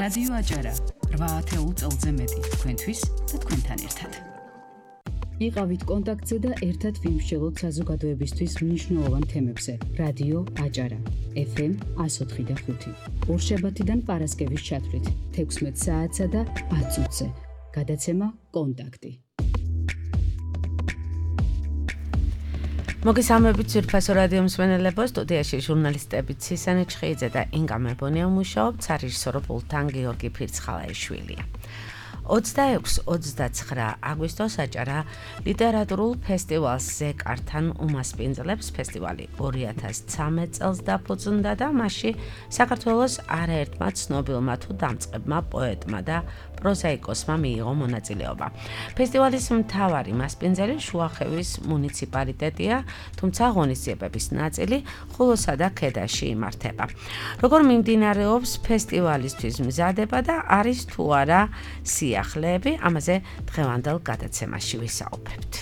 რადიო აჭარა 8 წელზე მეტი თქვენთვის და თქვენთან ერთად. იყავით კონტაქტზე და ერთად ვიმსჯელოთ საზოგადოებისთვის მნიშვნელოვან თემებზე. რადიო აჭარა FM 104.5. ორშაბათიდან პარასკევის ჩათვლით 16 საათსა და 10 წუთზე. გადაცემა კონტაქტი. მოგესალმებით ძვირფასო რადიო მსმენელებო, სტუდიაში ჟურნალისტები ცისანი ჩხეიძე და ინგა მებონია მუშაობთ, სარეჟისორო პულტთან გიორგი ფირცხალაიშვილია. 26-29 აგვისტოს აჭარა ლიტერატურულ ფესტივალს ზეკართან უმასპინძლებს. ფესტივალი 2013 წელს დაფუძნდა და მასში საქართველოს არაერთმა ცნობილმა თუ დამწყებმა პოეტმა და პროზაიკოსმა მიიღო მონაწილეობა. ფესტივალის მთავარი მასპინძელი შუახევის მუნიციპალიტეტია, თუმცა ღონისძიებების ნაწილი ხულოსა და ქედაში იმართება. როგორ მიმდინარეობს ფესტივალისთვის მზადება და არის თუ არა სიახლეები, ამაზე დღევანდელ გადაცემაში ვისაუბრებთ.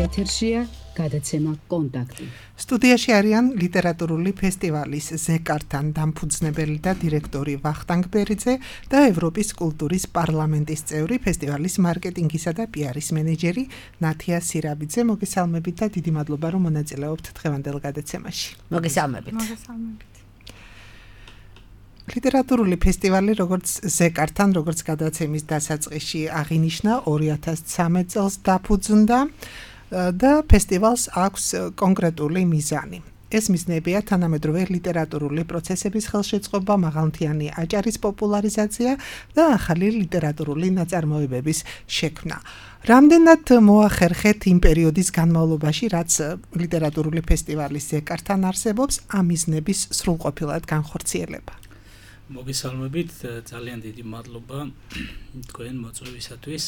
ეთერშია გადაცემა კონტაქტი. სტუდიაში არიან ლიტერატურული ფესტივალის ზეკართან დამფუძნებელი და დირექტორი ვახტანგ ბერიძე და ევროპის კულტურის პარლამენტის წევრი, ფესტივალის მარკეტინგისა და პიარის მენეჯერი ნათია სირაბიძე. მოგესალმებით და დიდი მადლობა, რომ მონაწილეობთ დღევანდელ გადაცემაში. მოგესალმებით. ლიტერატურული ფესტივალი, როგორც ზეკართან, როგორც გადაცემის დასაწყისში აღინიშნა, 2013 წელს დაფუძნდა და ფესტივალს აქვს კონკრეტული მიზანი. ეს მიზნებია თანამედროვე ლიტერატურული პროცესების ხელშეწყობა, მაღალმთიანი აჭარის პოპულარიზაცია და ახალი ლიტერატურული ნაწარმოებების შექმნა. რამდენად მოახერხეთ იმ პერიოდის განმავლობაში, რაც ლიტერატურული ფესტივალის ზეკართან არსებობს, ამ მიზნების სრულყოფილად განხორციელება? მოგესალმებით, ძალიან დიდი მადლობა თქვენ მოწვევისათვის.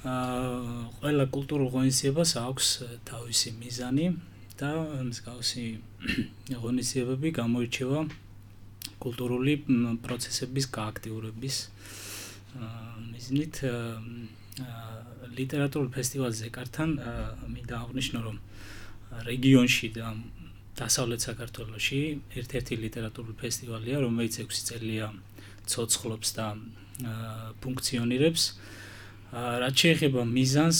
ყველა კულტურულ ღონისძიებას აქვს თავისი მიზანი და მსგავსი ღონისძიებები გამოირჩევა კულტურული პროცესების გააქტიურების მიზნით. ლიტერატურულ ფესტივალს ზეკართან მინდა აღვნიშნო, რომ რეგიონში და დასავლეთ საქართველოში ერთ-ერთი ლიტერატურული ფესტივალია, რომელიც 6 წელია ცოცხლობს და ფუნქციონირებს. რაც შეეხება მიზანს,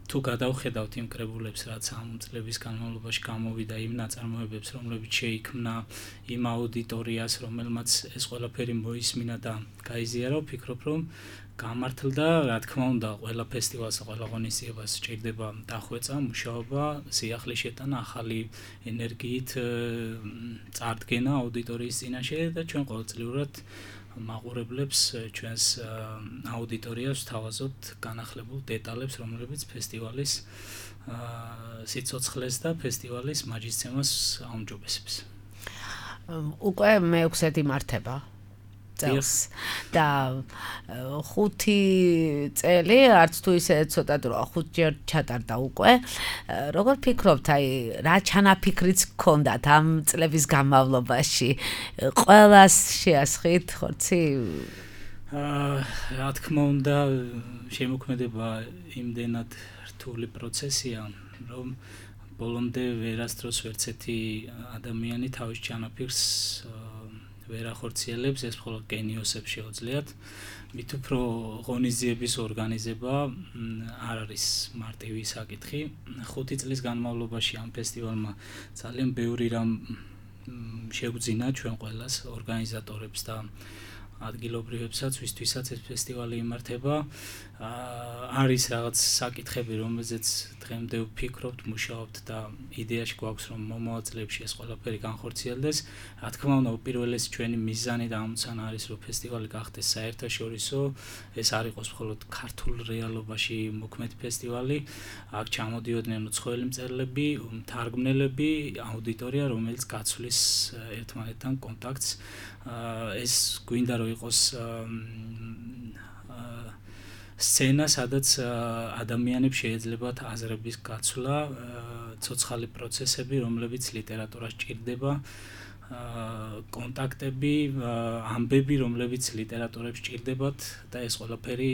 თუ გადავხედავთ იმ კრებულებს, რაც ამ წლების განმავლობაში გამოვიდა, იმ ნაწარმოებებს, რომლებიც შეიქმნა იმ აუდიტორიას, რომელმაც ეს ყველაფერი მოისმინა და გაიზიარა, ვფიქრობ, რომ გამართლდა, რა თქმა უნდა, ყველა ფესტივალს, ყველა ღონისძიებას სჭირდება დახვეწა, მუშაობა, სიახლის შეტანა, ახალი ენერგიით წარდგენა აუდიტორიის წინაშე და ჩვენ ყოველწლიურად მაყურებლებს ჩვენს აუდიტორიას ვთავაზობთ განახლებულ დეტალებს, რომლებიც ფესტივალის სიცოცხლეს და ფესტივალის მაჯისცემას აუმჯობესებს. უკვე მე-6 იმართება წელს და 5 წელი, არც თუ ისე ცოტა დრო, 5 ჯერ ჩატარდა უკვე. როგორ ფიქრობთ, რა ჩანაფიქრიც გქონდათ ამ წლების განმავლობაში? ყველას შეასხით ხორცი? რა თქმა უნდა, შემოქმედება იმდენად რთული პროცესია, რომ ბოლომდე ვერასდროს ვერცერთი ადამიანი თავის ჩანაფიქრს ვერ ახორციელებს, ეს მხოლოდ გენიოსებს შეუძლიათ. მით უფრო ღონისძიების ორგანიზება არ არის მარტივი საკითხი. 5 წლის განმავლობაში ამ ფესტივალმა ძალიან ბევრი რამ შეგვძინა ჩვენ ყველას, ორგანიზატორებს და ადგილობრივებსაც, ვისთვისაც ეს ფესტივალი იმართება. არის რაღაც საკითხები, რომელზეც დღემდე ვფიქრობთ, მუშაობთ და იდეაში გვაქვს, რომ მომავალ წლებში ეს ყველაფერი განხორციელდეს. რა თქმა უნდა, უპირველესი ჩვენი მიზანი და ამოცანა არის, რომ ფესტივალი გახდეს საერთაშორისო. ეს არ იყოს მხოლოდ ქართულ რეალობაში მოქმედი ფესტივალი. აქ ჩამოდიოდნენ უცხოელი მწერლები, მთარგმნელები, აუდიტორია, რომელიც გაცვლის ერთმანეთთან კონტაქტს. ეს გვინდა რომ იყოს სცენა, სადაც ადამიანებს შეეძლებათ აზრების გაცვლა, ცოცხალი პროცესები, რომლებიც ლიტერატურას ჭირდება, კონტაქტები, ამბები, რომლებიც ლიტერატურებს ჭირდებათ და ეს ყველაფერი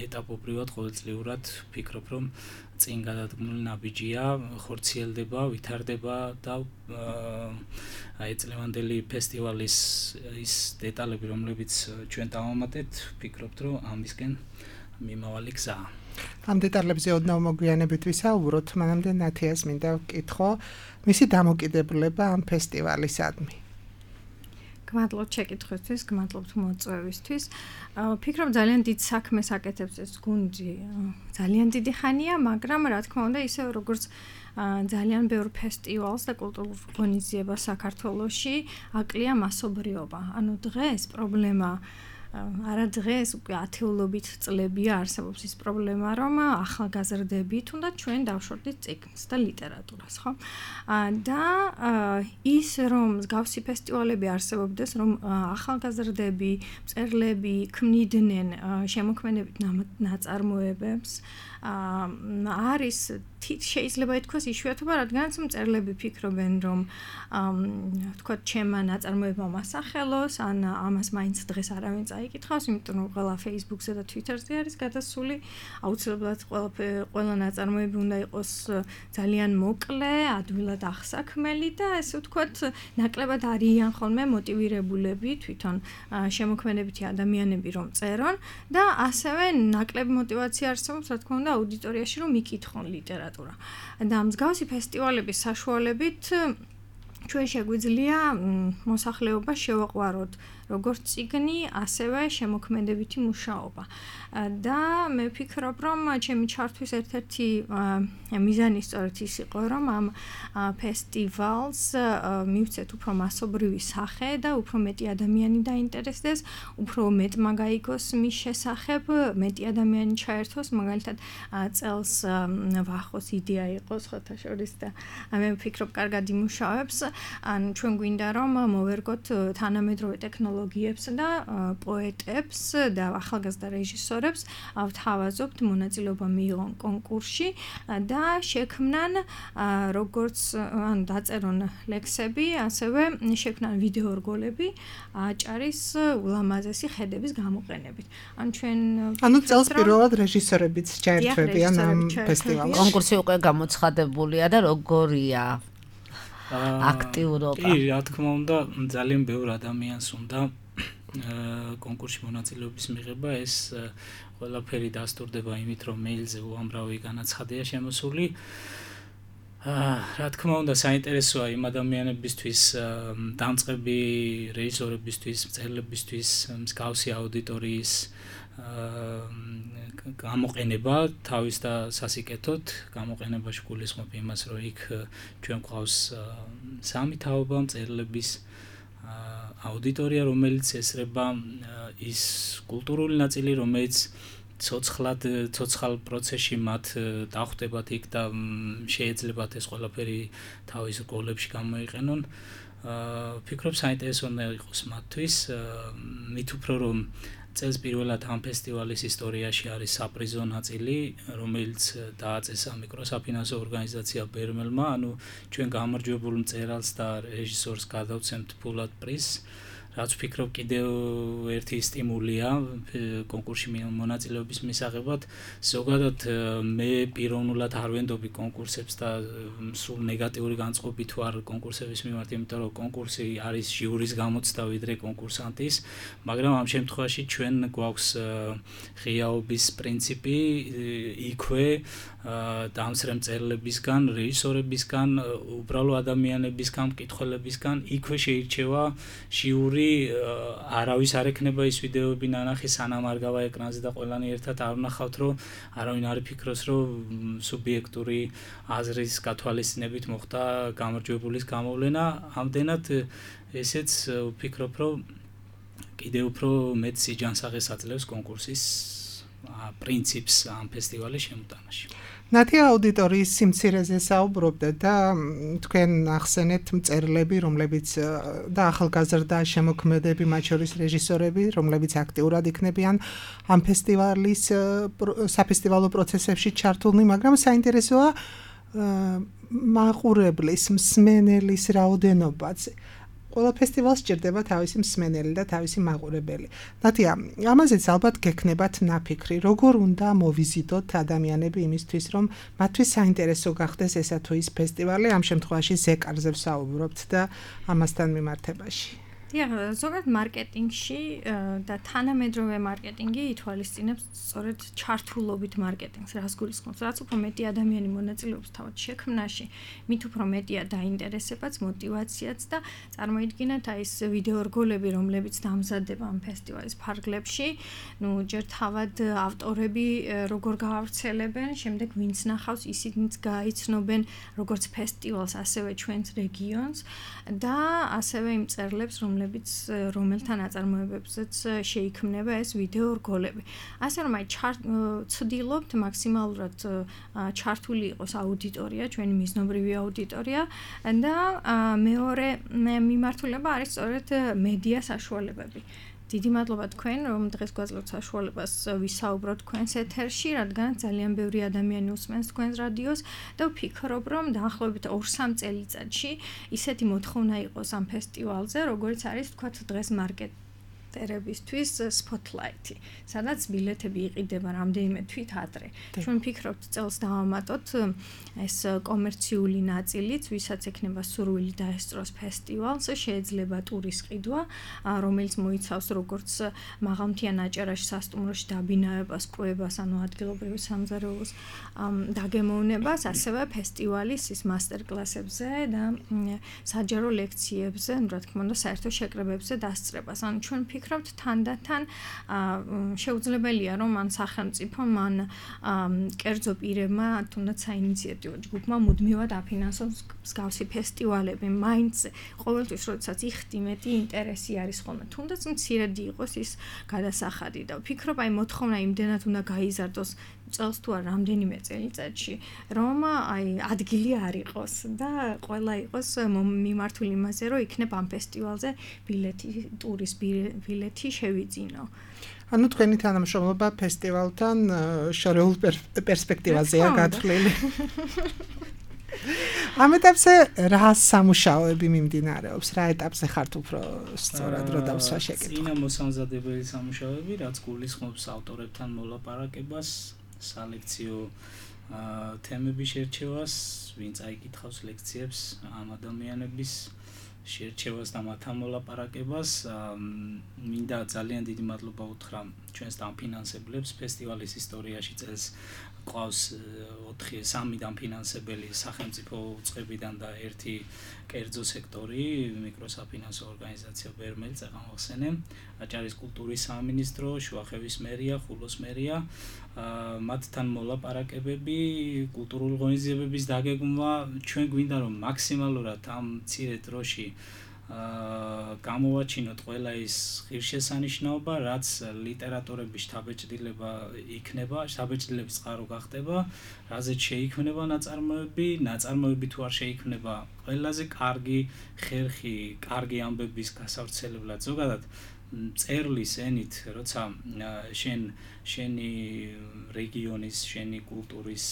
ეტაპობრივად ყოველწლიურად ვფიქრობ, რომ წინ გადადგმული ნაბიჯია, ხორციელდება, ვითარდება და აი წლევანდელი ფესტივალის ის დეტალები, რომლებიც ჩვენ დავამატეთ, ვფიქრობთ, რომ ამისკენ მიმავალი გზაა. ამ დეტალებზე ოდნავ მოგვიანებით ვისაუბროთ, მანამდე ნათიას მინდა ვკითხო, მისი დამოკიდებულება ამ ფესტივალისადმი. გმადლობთ შეკითხვისთვის, გმადლობთ მოწვევისთვის. ვფიქრობ ძალიან დიდ საქმეს აკეთებს ეს გუნდი. ძალიან დიდი ხანია, მაგრამ რა თქმა უნდა, ისე როგორც ძალიან ბევრ ფესტივალს და კულტურულ ღონისძიებას საქართველოში აკლია მასობრიობა. ანუ დღეს პრობლემა არა დღეს უკვე ათეულობით წლებია არსებობს ის პრობლემა, რომ ახალგაზრდები თუნდაც ჩვენ დავშორდით წიგნს და ლიტერატურას, ხო? და ის რომ მსგავსი ფესტივალები არსებობდეს, რომ ახალგაზრდები, მწერლები ქმნიდნენ შემოქმედებით ნაწარმოებებს, არის შეიძლება ითქვას იშვიათობა, რადგანაც მწერლები ფიქრობენ, რომ თქვათ ჩემმა ნაწარმოებამ ასახელოს, ან ამას მაინც დღეს არავინ წაიკითხავს, იმიტომ რომ ყველა Facebook-ზე და Twitter-ზე არის გადასული, აუცილებლად ყველა ნაწარმოები უნდა იყოს ძალიან მოკლე, ადვილად აღსაქმელი და ესე ვთქვათ, ნაკლებად არიან ხოლმე მოტივირებულები თვითონ შემოქმედებითი ადამიანები რომ წერონ და ასევე ნაკლები მოტივაცია არსებობს, რა თქმა უნდა, აუდიტორიაში რომ იკითხონ ლიტერატურა. და მსგავსი ფესტივალების საშუალებით ჩვენ შეგვიძლია მოსახლეობა შევაყვაროთ როგორც წიგნი, ასევე შემოქმედებითი მუშაობა. და მე ვფიქრობ, რომ ჩემი ჩართვის ერთ-ერთი მიზანი სწორედ ის იყო, რომ ამ ფესტივალს მივცეთ უფრო მასობრივი სახე და უფრო მეტი ადამიანი დაინტერესდეს, უფრო მეტმა გაიგოს მის შესახებ, მეტი ადამიანი ჩაერთოს, მაგალითად წელს ვახოს იდეა იყო სხვათა შორის და მე ვფიქრობ, კარგად იმუშავებს. ან ჩვენ გვინდა რომ მოვერგოთ თანამედროვე ტექნოლოგიებს და პოეტებს და ახალგაზრდა რეჟისორებს ვთავაზობთ მონაწილეობა მიიღონ კონკურსში და შექმნან როგორც ან დაწერონ ლექსები, ასევე შექმნან ვიდეო რგოლები აჭარის ულამაზესი ხედების გამოყენებით. ანუ წელს პირველად რეჟისორებიც ჩაერთვებიან ამ ფესტივალში. კონკურსი უკვე გამოცხადებულია და როგორია აქტიურობა. კი, რა თქმა უნდა, ძალიან ბევრ ადამიანს უნდა კონკურსში მონაწილეობის მიღება, ეს ყველაფერი დასტურდება იმით, რომ მეილზე უამრავი განაცხადია შემოსული. რა თქმა უნდა, საინტერესოა იმ ადამიანებისთვის, დამწყები რეჟისორებისთვის, მწერლებისთვის, მსგავსი აუდიტორიის გამოყენება თავის და სასიკეთოდ, გამოყენებაში გულისხმობ იმას, რომ იქ ჩვენ გვყავს სამი თაობა მწერლების აუდიტორია, რომელიც ესრება ის კულტურული ნაწილი, რომელიც ცოცხალ პროცესში მათ დახვდებათ იქ და შეეძლებათ ეს ყველაფერი თავის რგოლებში გამოიყენონ. ვფიქრობ, საინტერესო უნდა იყოს მათთვის, მით უფრო რომ წელს პირველად ამ ფესტივალის ისტორიაში არის საპრიზო ნაწილი, რომელიც დააწესა მიკროსაფინანსო ორგანიზაცია ბერმელმა, ანუ ჩვენ გამარჯვებულ მწერალს და რეჟისორს გადავცემთ ფულად პრიზს, რაც ვფიქრობ კიდევ ერთი სტიმულია კონკურსში მონაწილეობის მისაღებად. ზოგადად მე პიროვნულად არ ვენდობი კონკურსებს და სულ ნეგატიური განწყობით ვარ კონკურსების მიმართ, იმიტომ რომ კონკურსი არის ჟიურის გამოცდა ვიდრე კონკურსანტის, მაგრამ ამ შემთხვევაში ჩვენ გვაქვს ღიაობის პრინციპი იქვე დამსრე მწერლებისგან, რეჟისორებისგან, უბრალო ადამიანებისგან, მკითხველებისგან, იქვე შეირჩევა ჟიური, არავის არ ექნება ის ვიდეოები ნანახი, სანამ არ გავა ეკრანზე და ყველანი ერთად არ ვნახავთ, რომ არავინ არ იფიქროს, რომ სუბიექტური აზრის გათვალისწინებით მოხდა გამარჯვებულის გამოვლენა. ამდენად ესეც ვფიქრობ, რომ კიდევ უფრო მეტ სიჯანსაღეს აძლევს კონკურსის პრინციპს ამ ფესტივალის შემოტანაში. ნათია აუდიტორიის სიმცირეზე საუბრობდა და თქვენ ახსენეთ მწერლები, რომლებიც და ახალგაზრდა შემოქმედები, მათ შორის რეჟისორები, რომლებიც აქტიურად იქნებიან ამ ფესტივალის საფესტივალო პროცესებში ჩართულნი, მაგრამ საინტერესოა მაყურებლის, მსმენელის რაოდენობაც. ყველა ფესტივალს სჭირდება თავისი მსმენელი და თავისი მაყურებელი. ნათია, ამაზეც ალბათ გექნებათ ნაფიქრი, როგორ უნდა მოვიზიდოთ ადამიანები იმისთვის, რომ მათთვის საინტერესო გახდეს ესა თუ ის ფესტივალი, ამ შემთხვევაში ზეკარზე ვსაუბრობთ და ამასთან მიმართებაში. ზოგადად მარკეტინგში და თანამედროვე მარკეტინგი ითვალისწინებს სწორედ ჩართულობით მარკეტინგს, რას გულისხმობს, რაც უფრო მეტი ადამიანი მონაწილეობს თავად შექმნაში, მით უფრო მეტია დაინტერესებაც, მოტივაციაც და წარმოიდგინეთ აი ეს ვიდეო რგოლები, რომლებიც დამზადდება ამ ფესტივალის ფარგლებში, ჯერ თავად ავტორები როგორ გაავრცელებენ, შემდეგ ვინც ნახავს, ისინიც გაიცნობენ როგორც ფესტივალს, ასევე ჩვენს რეგიონს და ასევე იმ წერლებს, რომელთან აწარმოებებზეც შეიქმნება ეს ვიდეო რგოლები. ასე რომ აი ცდილობთ მაქსიმალურად ჩართული იყოს აუდიტორია, ჩვენი მიზნობრივი აუდიტორია და მეორე მიმართულება არის სწორედ მედია საშუალებები. დიდი მადლობა თქვენ, რომ დღეს გვაძლევთ საშუალებას ვისაუბროთ თქვენს ეთერში, რადგან ძალიან ბევრი ადამიანი უსმენს თქვენს რადიოს და ვფიქრობ, რომ დაახლოებით 2-3 წელიწადში ისეთი მოთხოვნა იყოს ამ ფესტივალზე, როგორც არის თქვათ დღეს მარკეტერებისთვის Spotlight-ი, სადაც ბილეთები იყიდება რამდენიმე თვით ადრე. ჩვენ ვფიქრობთ, წელს დავამატოთ ეს კომერციული ნაწილიც, ვისაც ექნება სურვილი დაესწროს ფესტივალს, შეიძლება ტურის ყიდვა, რომელიც მოიცავს როგორც მაღალმთიან აჭარაში სასტუმროში დაბინავებას, კვებას, ანუ ადგილობრივი სამზარეულოს დაგემოვნებას, ასევე ფესტივალის ის მასტერკლასებზე და საჯარო ლექციებზე, რა თქმა უნდა, საერთო შეკრებებზე დასწრებას. ანუ ჩვენ ვფიქრობთ, თანდათან შეუძლებელია, რომ ან სახელმწიფომ, ან კერძო პირებმა, თუნდაც საინიციატივო ჯგუფმა მუდმივად აფინანსოს მსგავსი ფესტივალები. მაინც ყოველთვის, როდესაც იხდი მეტი ინტერესი არის ხოლმე, თუნდაც მცირედი იყოს ის გადასახადი და ვფიქრობ, აი მოთხოვნა იმდენად უნდა გაიზარდოს წელს თუ არ რამდენიმე წელიწადში, რომ აი ადგილი არ იყოს და ყველა იყოს მიმართული იმაზე, რომ იქნებ ამ ფესტივალზე ბილეთი, ტურის ბილეთი შევიძინო. ანუ თქვენი თანამშრომლობა ფესტივალთან შორეულ პერსპექტივაზეა გათვლილი. ამ ეტაპზე რა სამუშაოები მიმდინარეობს? რა ეტაპზე ხართ უფრო სწორად რო დავსვა შეკითხვა? წინა მოსამზადებელი სამუშაოები, რაც გულისხმობს ავტორებთან მოლაპარაკებას, სალექციო თემების შერჩევას, ვინც აიკითხავს ლექციებს, ამ ადამიანების შერჩევას და მათთან მოლაპარაკებას. მინდა ძალიან დიდი მადლობა უთხრა ჩვენს დამფინანსებლებს ფესტივალის ისტორიაში წელს ყავს 3 დამფინანსებელი სახელმწიფო უწყებიდან და 1 კერძო სექტორი, მიკროსაფინანსო ორგანიზაცია ბერმელი წეღამახსენე, აჭარის კულტურის სამინისტრო, შუახევის მერია, ხულოს მერია, მათთან მოლაპარაკებები, კულტურული ღონისძიებების დაგეგმვა, ჩვენ გვინდა რომ მაქსიმალურად ამ მცირე დროში გამოვაჩინოთ ყველა ის ღირსშესანიშნაობა, რაც ლიტერატურების შთაბეჭდილება იქნება, შთაბეჭდილების წყარო გახდება, რაზეც შეიქმნება ნაწარმოები თუ არ შეიქმნება, ყველაზე კარგი ხერხი, კარგი ამბების გასავრცელებლად. ზოგადად წერლის ენით, როცა შენი რეგიონის, შენი კულტურის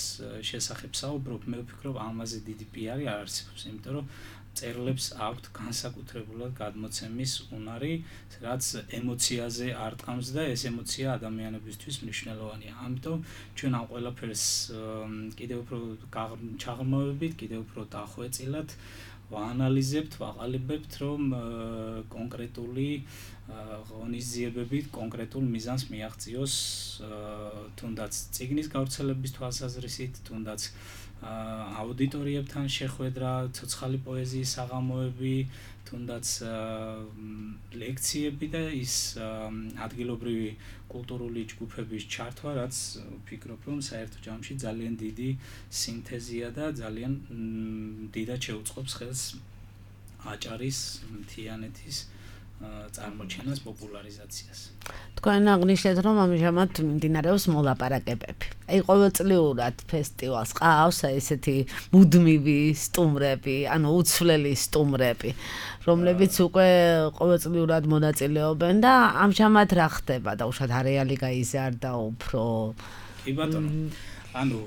შესახებ საუბრობ, მე ვფიქრობ, ამაზე დიდი პიარი არ არსებობს, იმიტომ რომ წერლებს აქვთ განსაკუთრებულად გადმოცემის უნარი, რაც ემოციაზე არტყამს და ეს ემოცია ადამიანებისთვის მნიშვნელოვანია. ამიტომ ჩვენ ამ ყველაფერს კიდევ უფრო ჩაღრმავებით, კიდევ უფრო დახვეწილად ვაანალიზებთ, ვაყალიბებთ, რომ კონკრეტული ღონისძიებებით კონკრეტულ მიზანს მიაღწიოს, თუნდაც წიგნის გავრცელების თვალსაზრისით, თუნდაც აუდიტორიებთან შეხვედრა, ცოცხალი პოეზიის საღამოები, თუნდაც ლექციები და ის ადგილობრივი კულტურული ჯგუფების ჩართვა, რაც ვფიქრობ, რომ საერთო ჯამში ძალიან დიდი სინთეზია და ძალიან დიდად შეუწყობს ხელს აჭარის, მთიანეთის წარმოჩენას, პოპულარიზაციას. თქვენ აღნიშნეთ, რომ ამჟამად მიმდინარეობს მოლაპარაკებები. აი ყოველწლიურად ფესტივალს ყავს ესეთი მუდმივი სტუმრები, ანუ უცვლელი სტუმრები, რომლებიც უკვე ყოველწლიურად მონაწილეობენ და ამჟამად რა ხდება და უშად არეალი გაიზარდა უფრო. კი ბატონო. ანუ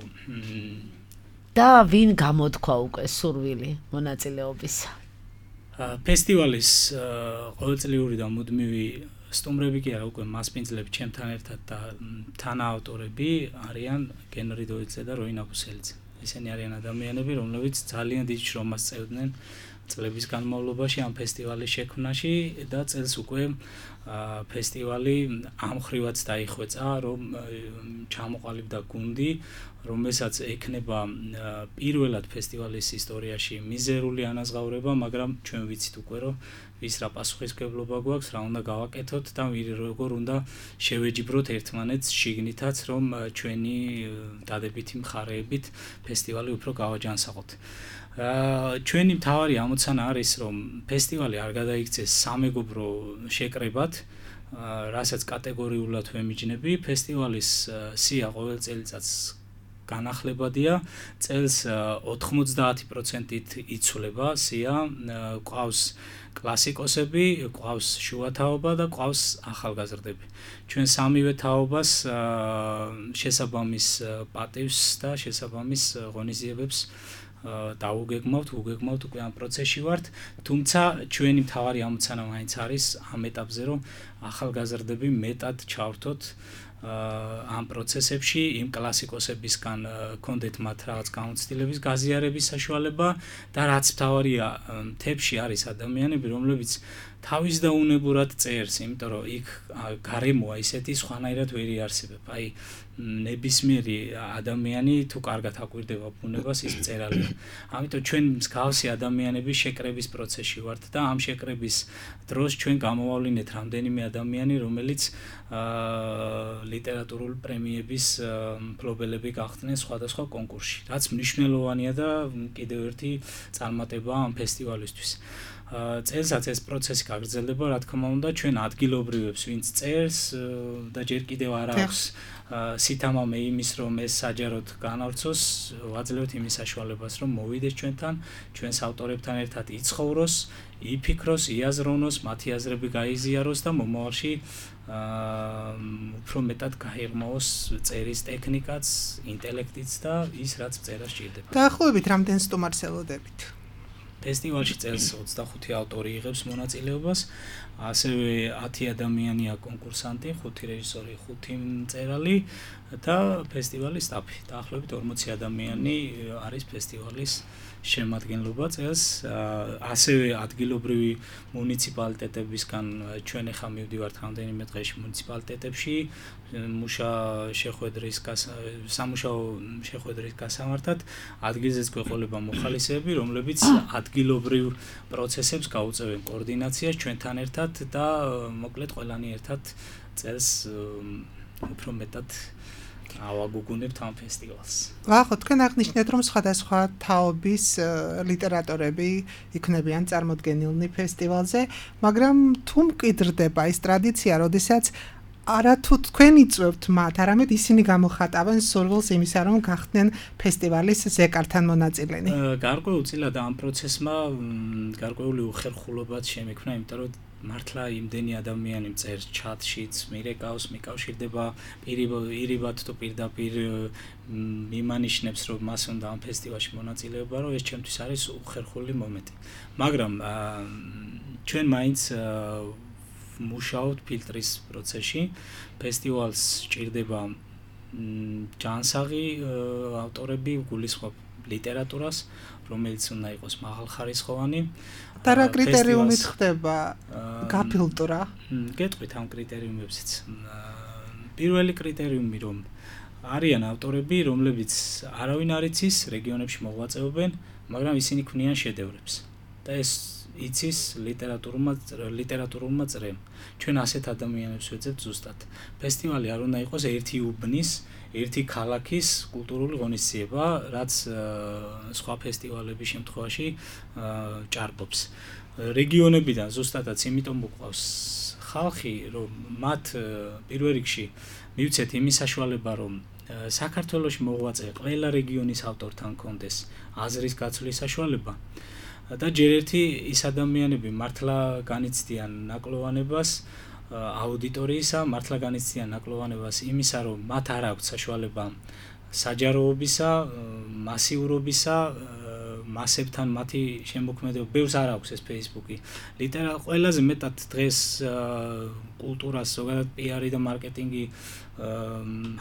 და ვინ გამოთქვა უკვე სურვილი მონაწილეობისა? ფესტივალის ყოველწლიური და მუდმივი სტუმრები კი არა, უკვე მასპინძლები ჩემთან ერთად და თანაავტორები არიან გენრი დოიძე და როინ აბუსელიძე. Ისინი არიან ადამიანები, რომლებიც ძალიან დიდ შრომას წევდნენ წლების განმავლობაში ამ ფესტივალის შექმნაში და წელს უკვე ფესტივალი ამხრივად დაიხვეწა, რომ ჩამოყალიბდა გუნდი, რომელსაც ექნება პირველად ფესტივალის ისტორიაში მიზერული ანაზღაურება, მაგრამ ჩვენ ვიცით უკვე, რომ ვის რა პასუხისმგებლობა გვაქვს, რა უნდა გავაკეთოთ და როგორ უნდა შევეჯიბროთ ერთმანეთს შიგნითაც, რომ ჩვენი დადებითი მხარეებით ფესტივალი უფრო გავაჯანსაღოთ. ჩვენი მთავარი ამოცანა არის, რომ ფესტივალი არ გადაიქცეს სამეგობრო შეკრებად, რასაც კატეგორიულად ვემიჯნები. ფესტივალის სია ყოველ წელიწადს განახლებადია, წელს 90%-ით იცვლება სია, ყავს კლასიკოსები, ყავს შუათაობა და ყავს ახალგაზრდები. ჩვენ სამივე თაობას შესაბამის პატივს და შესაბამის ღონისძიებებს დაუგეგმავთ უკვე ამ პროცესში ვართ, თუმცა ჩვენი მთავარი ამოცანა მაინც არის ამ ეტაპზე, რომ ახალგაზრდები მეტად ჩავრთოთ ამ პროცესებში, იმ კლასიკოსებისგან კონდეთ მათ რაღაც გამოცდილების გაზიარების საშუალება და რაც მთავარია, მთებში არის ადამიანები, რომლებიც თავის და უნებურად წერს, იმიტომ რომ იქ გარემოა ისეთი სხვანაირად ვერ იარსებებ. აი ნებისმიერი ადამიანი თუ კარგად აკვირდება ბუნებას, ის მწერალია. ამიტომ ჩვენ მსგავსი ადამიანები შეკრების პროცესში ვართ და ამ შეკრების დროს ჩვენ გამოვავლინეთ რამდენიმე ადამიანი, რომელიც ლიტერატურული პრემიების მფლობელები გახდნენ სხვადასხვა კონკურსში, რაც მნიშვნელოვანია და კიდევ ერთი წარმატება ამ ფესტივალისთვის. წელსაც ეს პროცესი გაგრძელდება, რა თქმა უნდა, ჩვენ ადგილობრივებს, ვინც წერს და ჯერ კიდევ არ აქვს სითამამე იმის, რომ ეს საჯაროდ განავრცოს, ვაძლევთ იმის საშუალებას, რომ მოვიდეს ჩვენთან, ჩვენს ავტორებთან ერთად იცხოვროს, იფიქროს, იაზროვნოს, მათი აზრები გაიზიაროს და მომავალში უფრო მეტად გაიღმაოს წერის ტექნიკაც, ინტელექტიც და ის, რაც წერას სჭირდება. დაახლოებით რამდენ სტუმარს ელოდებით? ფესტივალში წელს 25 ავტორი იღებს მონაწილეობას, ასევე 10 ადამიანია კონკურსანტი, 5 რეჟისორი, 5 მწერალი და ფესტივალის სტაფი. დაახლოებით 40 ადამიანი არის ფესტივალის შემადგენლობა წელს, ასევე ადგილობრივი მუნიციპალიტეტებისგან ჩვენ ახლა მივდივართ რამდენიმე დღეში მუნიციპალიტეტებში სამუშაო შეხვედრის გასამართად, ადგილზეც გვეყოლება მოხალისეები, რომლებიც ადგილობრივ პროცესებს გაუწევენ კოორდინაციას ჩვენთან ერთად და მოკლედ ყველანი ერთად წელს უფრო მეტად ავაგუგუნებთ ამ ფესტივალს. ვახო, თქვენ აღნიშნეთ, რომ სხვადასხვა თაობის ლიტერატორები იქნებიან წარმოდგენილნი ფესტივალზე, მაგრამ თუ მკვიდრდება ის ტრადიცია, როდესაც არა თუ თქვენ იწვევთ მათ, არამედ ისინი გამოხატავენ სურვილს იმისა, რომ გახდნენ ფესტივალის ზეკართან მონაწილენი. გარკვეულწილად ამ პროცესმა გარკვეული უხერხულობაც შემექმნა, იმიტომ რომ მართლა იმდენი ადამიანი წერს ჩატშიც, მირეკავს, მიკავშირდება პირობად თუ პირდაპირ მიმანიშნებს, რომ მას უნდა ამ ფესტივალში მონაწილეობა, რომ ეს ჩემთვის არის უხერხული მომენტი. მაგრამ ჩვენ მაინც მუშაობთ ფილტრის პროცესში. ფესტივალს სჭირდება ჯანსაღი ავტორები, გულისხმობ ლიტერატურას, რომელიც უნდა იყოს მაღალხარისხოვანი. და რა კრიტერიუმით ხდება გაფილტრა? გეტყვით ამ კრიტერიუმებზეც. პირველი კრიტერიუმი, რომ არიან ავტორები, რომლებიც არავინ არ იცის, რეგიონებში მოღვაწეობენ, მაგრამ ისინი ქმნიან შედევრებს. და ეს იცის ლიტერატურულმა წრემ. ჩვენ ასეთ ადამიანებს ვეძებთ ზუსტად. ფესტივალი არ უნდა იყოს ერთი უბნის, ერთი ქალაქის კულტურული ღონისძიება, რაც სხვა ფესტივალების შემთხვევაში ჭარბობს. რეგიონებიდან ზუსტადაც იმიტომ მოყავს ხალხი, რომ მათ პირველ რიგში მივცეთ იმის საშუალება, რომ საქართველოში მოღვაწე ყველა რეგიონის ავტორთან კონდეს აზრის გაცვლის საშუალება. და ჯერ ერთი ის ადამიანები მართლა განიცდიან ნაკლოვანებას აუდიტორიისა, მართლა განიცდიან ნაკლოვანებას იმისა, რომ მათ არ აქვს საშუალება საჯაროობისა, მასიურობისა, მასებთან მათი შემოქმედება ბევრს არ აქვს ეს Facebook-ი. ყველაზე მეტად დღეს კულტურას ზოგადად PR-ი და მარკეტინგი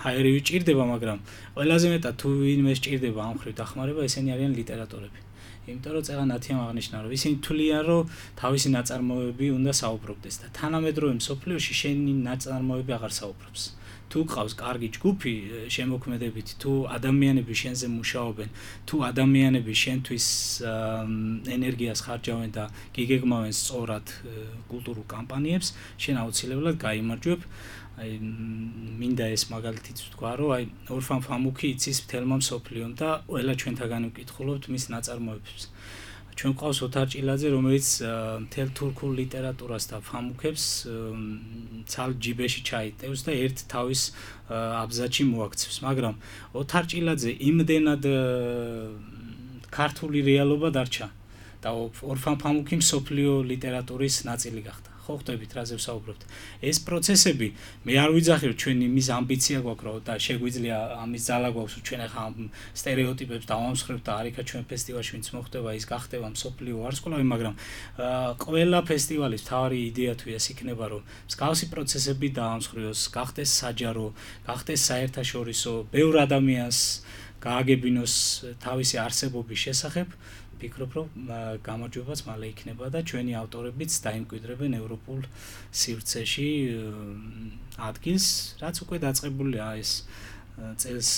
ჰაერივი ჭირდება, მაგრამ ყველაზე მეტად თუ ვინმე სჭირდება ამ ხრივ დახმარება, ესენი არიან ლიტერატორები. იმიტომ რომ წეღან ათიამ აღნიშნა, რომ ისინი თვლიან, რომ თავისი ნაწარმოებები უნდა საუბრობდეს და თანამედროვე მსოფლიოში შენი ნაწარმოები აღარ საუბრობს. თუ ყავს კარგი ჯგუფი შემოქმედებით, თუ ადამიანები შენზე მუშაობენ, თუ ადამიანები შენთვის ენერგიას ხარჯავენ და გიგეგმავენ სწორად კულტურულ კამპანიებს, შენ აუცილებლად გაიმარჯვებ. აი მინდა ეს მაგალითიც ვთქვა, რომ აი ორფან ფამუქი იცის მთელმა მსოფლიომ და ყველა ჩვენთაგან ვკითხულობთ მის ნაწარმოებებს. ჩვენ ყავს ოთარ ჭილაძე, რომელიც მთელ თურქულ ლიტერატურას და ფამუქებს ცალ ჯიბეში ჩაიტევს და ერთ თავის აბზაჩი მოაქცევს, მაგრამ ოთარ ჭილაძე იმდენად ქართული რეალობა დარჩა და ორფან ფამუქი მსოფლიო ლიტერატურის ნაწილი გახდა. ხო ხვდებით რაზე ვსაუბრობთ. ეს პროცესები მე არ ვიძახი რომ ჩვენ იმის ამბიცია გვაქვს რომ და შეგვიძლია ამის ძალა გვაქვს რომ ჩვენ ახლა სტერეოტიპებს დავამსხვრევთ და არიქა ჩვენ ფესტივალში ვინც მოხდება ის გახდება მსოფლიო ვარსკვლავი, მაგრამ ყველა ფესტივალის მთავარი იდეა თუ ეს იქნება რომ მსგავსი პროცესები დაამსხვრიოს, გახდეს საჯარო, გახდეს საერთაშორისო, ბევრ ადამიანს გააგებინოს თავისი არსებობის შესახებ. ვფიქრობ, რომ გამარჯვებაც მალე იქნება და ჩვენი ავტორებიც დაიმკვიდრებენ ევროპულ სივრცეში ადგილს, რაც უკვე დაწყებულია ეს წელს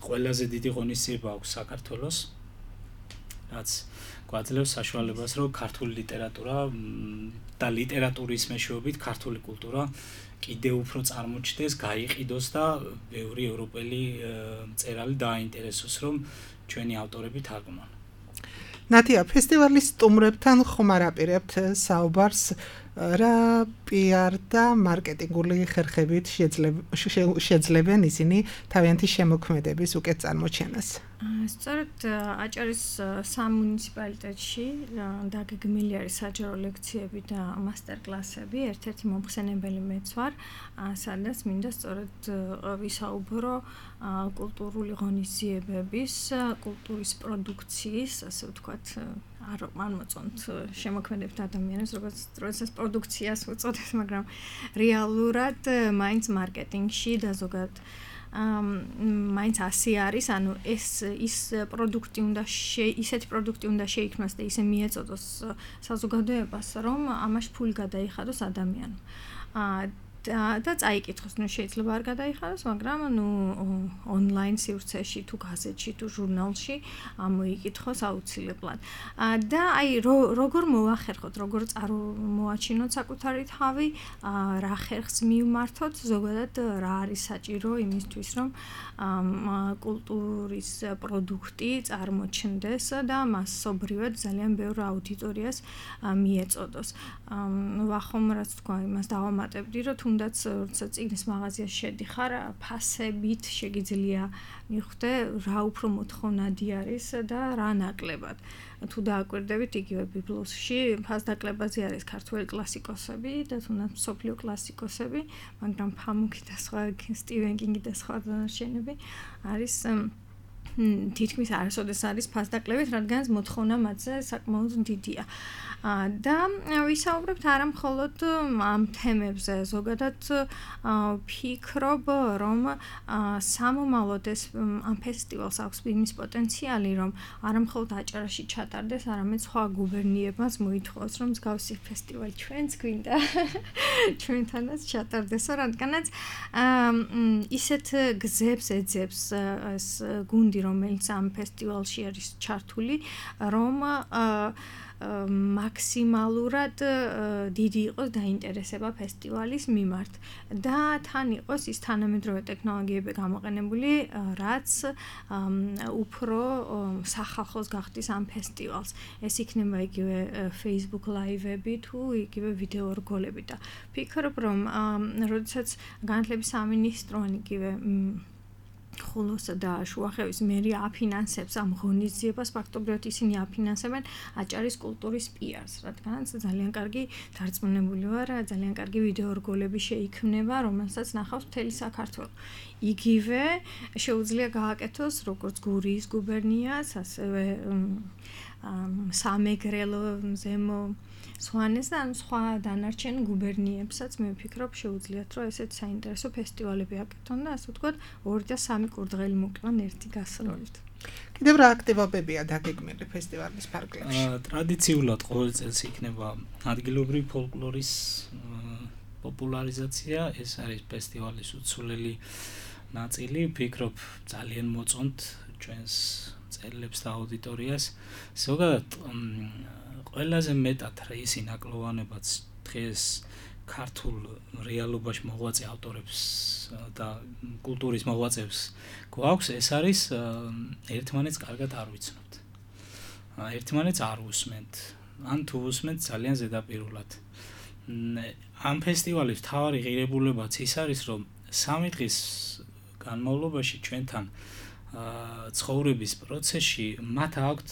ყველაზე დიდი ღონისძიება აქვს საქართველოს, რაც გვაძლევს საშუალებას, რომ ქართული ლიტერატურა და ლიტერატურის მეშვეობით ქართული კულტურა კიდევ უფრო წარმოჩნდეს, გაიყიდოს და ბევრი ევროპელი მწერალი დააინტერესოს, რომ ჩვენი ავტორები თარგმნონ. ნათია, ფესტივალის სტუმრებთან ხომ არ აპირებთ საუბარს რა PR და მარკეტინგული ხერხებით შეძლებენ ისინი თავიანთი შემოქმედების უკეთ წარმოჩენას? სწორედ აჭარის სამუნიციპალიტეტში დაგეგმილი არის საჯარო ლექციები და მასტერკლასები, ერთ-ერთი მომხსენებელი მეც ვარ, სადაც მინდა სწორედ ვისაუბრო კულტურული ღონისძიებების, კულტურის პროდუქციის, ასე ვთქვათ, არ მოწონთ შემოქმედებთ ადამიანებს, როდესაც პროდუქციას უწოდებს, მაგრამ რეალურად მაინც მარკეტინგში და ზოგადად მაინც ასე არის, ანუ ის პროდუქტი უნდა ისეთი პროდუქტი უნდა შეიქმნას და ისე მიეწოდოს საზოგადოებას, რომ ამაში ფული გადაიხადოს ადამიანმა. და წაიკითხოს, შეიძლება არ გადაიხადოს, მაგრამ ონლაინ სივრცეში თუ გაზეთში თუ ჟურნალში მოიკითხოს აუცილებლად. და აი როგორ მოახერხოთ, როგორ წარმოაჩინოთ საკუთარი თავი, რა ხერხს მივმართოთ, ზოგადად რა არის საჭირო იმისთვის, რომ კულტურის პროდუქტი წარმოჩნდეს და მასობრივად ძალიან ბევრ აუდიტორიას მიეწოდოს. ვახომ რაც თქვა, იმას დავამატებდი, რომ თუნდაც როცა წიგნის მაღაზიაში შედიხარ, ფასებით შეგიძლია მიხვდე რა უფრო მოთხოვნადი არის და რა ნაკლებად. თუ დააკვირდებით იგივე ბიბლოსში ფასდაკლებაზე არის ქართველი კლასიკოსები და თუნდაც მსოფლიო კლასიკოსები, მაგრამ ფამუქი და სხვა სტივენ კინგი და სხვა დანარჩენები არის თითქმის არასოდეს არის ფასდაკლებით, რადგან მოთხოვნა მათზე საკმაოდ დიდია. და ვისაუბრებთ არა მხოლოდ ამ თემებზე, ზოგადად ვფიქრობ, რომ სამომავლოდ ეს ამ ფესტივალს აქვს იმის პოტენციალი, რომ არა მხოლოდ აჭარაში ჩატარდეს, არამედ სხვა გუბერნიებმაც მოითხოვოს, რომ მსგავსი ფესტივალი ჩვენც გვინდა ჩვენთანაც ჩატარდესო, რადგანაც ისეთ გზებს ეძებს ეს გუნდი, რომელიც ამ ფესტივალში არის ჩართული, რომ მაქსიმალურად დიდი იყოს დაინტერესება ფესტივალის მიმართ და თან იყოს ის თანამედროვე ტექნოლოგიები გამოყენებული, რაც უფრო სახალხოს გახდის ამ ფესტივალს. ეს იქნება იგივე Facebook Live-ები თუ იგივე ვიდეო რგოლები და ვფიქრობ, რომ როდესაც განათლების სამინისტრო ან იგივე ხულოსა და შუახევის მერი აფინანსებს ამ ღონისძიებას, ფაქტობრივად ისინი აფინანსებენ აჭარის კულტურის პიარს, რადგანაც ძალიან კარგი დარწმუნებული ვარ, ძალიან კარგი ვიდეო რგოლები შეიქმნება, რომელსაც ნახავს მთელი საქართველო. იგივე შეუძლია გააკეთოს როგორც გურიის გუბერნიას, ასევე სამეგრელო, ზემო სვანეს და სხვა დანარჩენ გუბერნიებსაც მე ვფიქრობ შეუძლიათ რომ ესეთ საინტერესო ფესტივალები აკეთონ და ასე ვთქვათ 2 და 3 კურდღელი მოკლან ერთი გასროლით. კიდევ რა აქტივობებია დაგეგმილი ფესტივალის ფარგლებში? ტრადიციულად ყოველ წელს იქნება ადგილობრივი ფოლკლორის პოპულარიზაცია, ეს არის ფესტივალის უცვლელი ნაწილი, ვფიქრობ ძალიან მოწონთ ჩვენს წელებს და აუდიტორიას. ზოგადად ყველაზე მეტად ის ინაკლოვანებაც დღეს ქართულ რეალობაში მოღვაწე ავტორებს და კულტურის მოღვაწეებს გვაქვს, ეს არის ერთმანეთს კარგად არ ვიცნობთ. ერთმანეთს არ უსმენთ. ან თუ უსმენთ ძალიან ზედაპირულად. ამ ფესტივალის მთავარი ღირებულებაც ის არის, რომ 3 დღის განმავლობაში ჩვენთან ცხოვრების პროცესში მათ აქვთ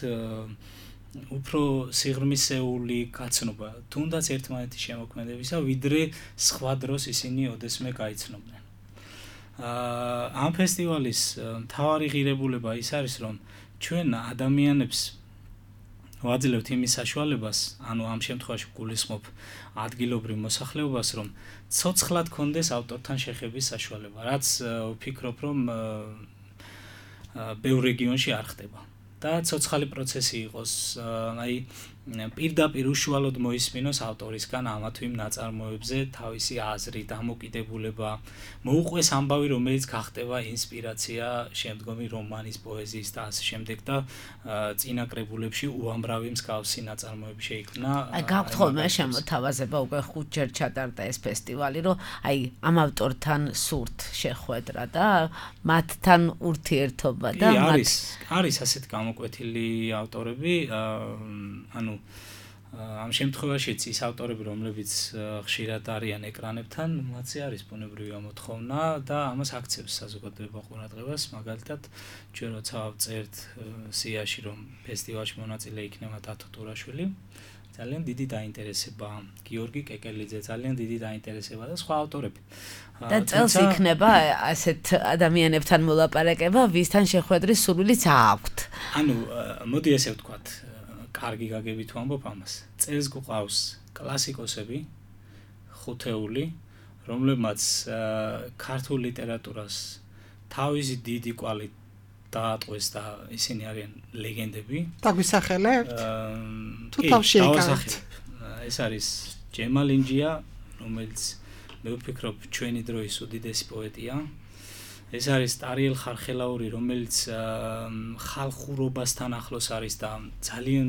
უფრო სიღრმისეული გაცნობა, თუნდაც ერთმანეთის შემოქმედებისა, ვიდრე სხვა დროს ისინი ოდესმე გაიცნობდნენ. ამ ფესტივალის მთავარი ღირებულება ის არის, რომ ჩვენ ადამიანებს ვაძლევთ იმის საშუალებას, ანუ ამ შემთხვევაში გულისხმობ ადგილობრივ მოსახლეობას, რომ ცოცხლად კონდეს ავტორთან შეხების საშუალება, რაც ვფიქრობ, რომ ბევრ რეგიონში არ ხდება. და ცოცხალი პროცესი იყოს, აი პირდაპირ უშუალოდ მოისმინოს ავტორისგან ამა თუ იმ ნაწარმოებზე თავისი აზრი, დამოკიდებულება, მოუყვეს ამბავი, რომელიც გახდება ინსპირაცია შემდგომი რომანის, პოეზიის და ასე შემდეგ და წინა კრებულებში უამრავი მსგავსი ნაწარმოები შეიქმნა. აი გაქვთ ხოლმე შემოთავაზება უკვე 5 ჯერ ჩატარდა ეს ფესტივალი, რომ აი ამ ავტორთან სურთ შეხვედრა და მათთან ურთიერთობა და არის ასეთ გამოკვეთილი ავტორები, ანუ ამ შემთხვევაშიც ის ავტორები, რომლებიც ხშირად არიან ეკრანებთან, მათზე არის ბუნებრივი ამოთხოვნა და ამას აქცევს საზოგადოება ყურადღებას, მაგალითად, ჩვენ როცა ვწერთ სიაში, რომ ფესტივალში მონაწილე იქნება დათო ტურაშვილი, ძალიან დიდი დაინტერესება, გიორგი კეკელიძე, ძალიან დიდი დაინტერესება და სხვა ავტორები. და წელს იქნება ასეთ ადამიანებთან მოლაპარაკება, ვისთან შეხვედრის სურვილიც აქვთ. ანუ მოდი ესე ვთქვათ, კარგი გაგებით ვამბობ ამას. წელს გვყავს კლასიკოსები, ხუთეული, რომლებმაც ქართულ ლიტერატურას თავისი დიდი კვალი დაატყვეს და ისინი არიან ლეგენდები. დაგვისახელებთ? თუ თავში ეკავთ. ეს არის ჯემალინჯია, რომელიც მე ვფიქრობ ჩვენი დროის უდიდესი პოეტია. ეს არის ტარიელ ხარხელაური, რომელიც ხალხურობასთან ახლოს არის და ძალიან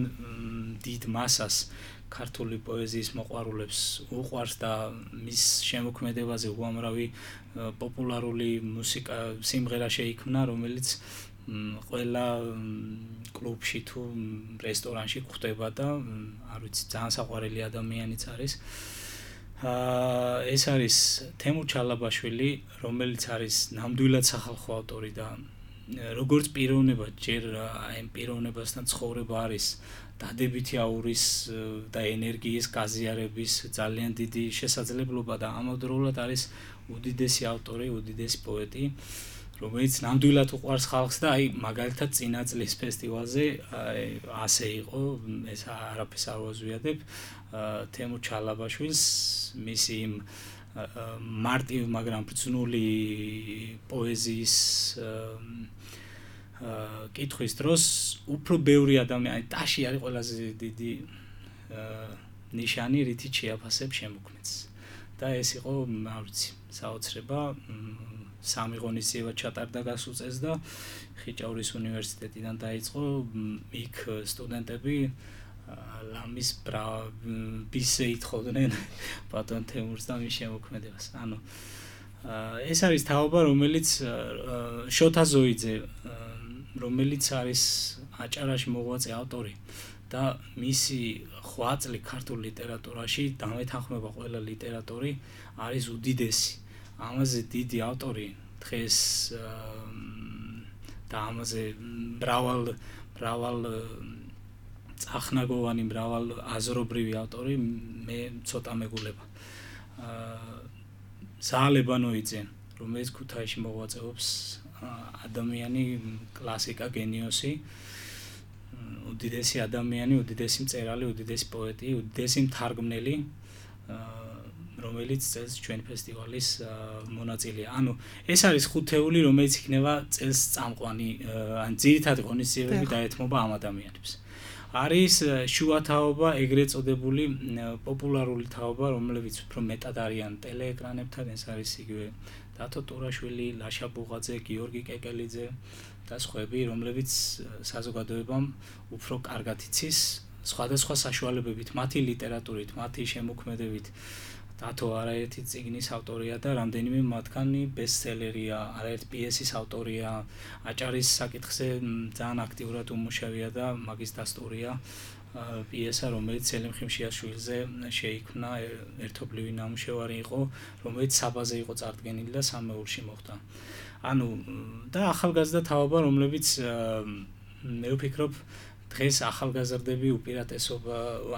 დიდ მასას ქართული პოეზიის მოყვარულებს უყვარს და მის შემოქმედებაზე უამრავი პოპულარული მუსიკა, სიმღერა შეიქმნა, რომელიც ყველა კლუბში თუ რესტორანში გვხვდება და არ ვიცი, ძალიან საყვარელი ადამიანიც არის. ეს არის თემურ ჩალაბაშვილი, რომელიც არის ნამდვილად სახალხო ავტორი და როგორც პიროვნება, ჯერ აი პიროვნებასთან ცხოვრება არის დადებითი აურის და ენერგიის გაზიარების ძალიან დიდი შესაძლებლობა და ამავდროულად არის უდიდესი ავტორი, უდიდესი პოეტი, რომელიც ნამდვილად უყვარს ხალხს და აი მაგალითად წინა წლის ფესტივალზე ასე იყო, ეს არაფერს არ ვაზვიადებ, თემურ ჩალაბაშვილს მისი იმ მარტივ, მაგრამ ბრძნული პოეზიის კითხვის დროს უფრო ბევრი ადამიანი, ტაში არის ყველაზე დიდი ნიშანი, რითიც შეაფასებ შემოქმედს. და ეს იყო, არ ვიცი, საოცრება, 3 ღონისძიება ჩატარდა გასულ წელს და ხიჭაურის უნივერსიტეტიდან დაიწყო, იქ სტუდენტები ლამის ბისზე ითხოვდნენ ბატონ თემურს და მის შემოქმედებას. ანუ ეს არის თაობა, რომელიც შოთა ზოიძე, რომელიც არის აჭარაში მოღვაწე ავტორი და მისი ხვაწლი ქართულ ლიტერატურაში დამეთანხმება ყველა ლიტერატორი არის უდიდესი. ამაზე დიდი ავტორი დღეს და ამაზე მრავალ წახნაგოვანი მრავალ აზრობრივი ავტორი მე ცოტა მეგულება. ზალებანოიძე, რომელიც ქუთაისში მოღვაწეობს, ადამიანი კლასიკა, გენიოსი, უდიდესი ადამიანი, უდიდესი მწერალი, უდიდესი პოეტი, უდიდესი მთარგმნელი, რომელიც წელს ჩვენ ფესტივალის მონაწილეა. ანუ ეს არის ხუთეული, რომელიც იქნება წელს წამყვანი, ან ძირითადი ღონისძიებები დაეთმობა ამ ადამიანებს. არის შუა თაობა, ეგრეთ წოდებული პოპულარული თაობა, რომლებიც უფრო მეტად არიან ტელეეკრანებთან, ეს არის იგივე დათო ტურაშვილი, ლაშა ბუღაძე, გიორგი კეკელიძე და სხვები, რომლებიც საზოგადოებამ უფრო კარგად იცის სხვადასხვა საშუალებებით, მათი ლიტერატურით, მათი შემოქმედებით. დათო არაერთი წიგნის ავტორია და რამდენიმე მათგანი ბესტსელერია, არაერთი პიესის ავტორია, აჭარის საკითხზე ძალიან აქტიურად უმუშავია და მაგის დასტურია პიესა, რომელიც სელიმ ხიმშიაშვილზე შეიქმნა, ერთობლივი ნამუშევარი იყო, რომელიც საბაზე იყო წარდგენილი და სამეულში მოხდა. ანუ და ახალგაზრდა თაობა, რომლებიც მე ვფიქრობ დღეს ახალგაზრდები უპირატესობა,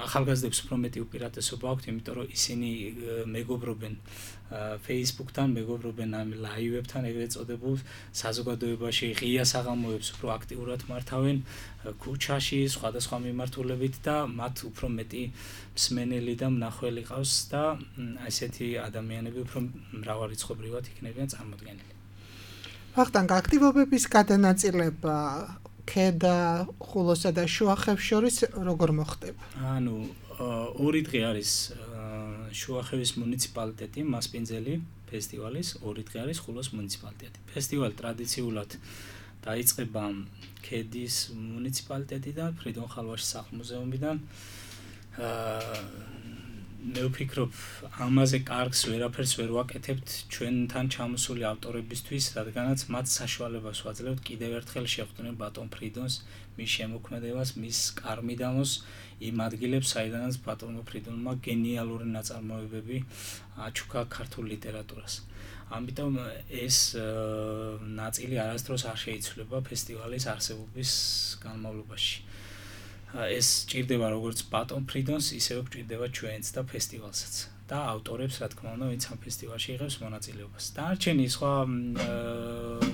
ახალგაზრდებს უფრო მეტი უპირატესობა აქვთ, იმიტომ რომ ისინი მეგობრობენ Facebook-თან, მეგობრობენ ამ ლაივებთან, ეგრეთ წოდებულ საზოგადოებაში ღია საღამოებს უფრო აქტიურად მართავენ, ქუჩაში, სხვადასხვა მიმართულებით და მათ უფრო მეტი მსმენელი და მნახველი ყავს და ესეთი ადამიანები უფრო მრავალრიცხოვრივად იქნებიან წარმოდგენილი. ვახტანგ, აქტივობების გადანაწილება ქედა, ხულოსა და შუახევს შორის როგორ მოხდება? ანუ ორი დღე არის შუახევის მუნიციპალიტეტი, მასპინძელი ფესტივალის, ორი დღე არის ხულოს მუნიციპალიტეტი. ფესტივალი ტრადიციულად დაიწყება ქედის მუნიციპალიტეტიდან, ფრიდონ ხალვაშის სახლ-მუზეუმიდან. მე ვფიქრობ, ამაზე კარგს ვერაფერს ვერ ვაკეთებთ ჩვენთან ჩამოსული ავტორებისთვის, რადგანაც მათ საშუალებას ვაძლევთ კიდევ ერთხელ შეხვდნენ ბატონ ფრიდონს, მის შემოქმედებას, მის კარმიდამოს, იმ ადგილებს, საიდანაც ბატონმა ფრიდონმა გენიალური ნაწარმოებები აჩუქა ქართულ ლიტერატურას. ამიტომ ეს ნაწილი არასდროს არ შეიცვლება ფესტივალის არსებობის განმავლობაში. ეს ჭირდება როგორც ბატონ ფრიდონს, ისევე ჭირდება ჩვენც და ფესტივალსაც და ავტორებს, რა თქმა უნდა, ვინც ამ ფესტივალში იღებს მონაწილეობას. დანარჩენი სხვა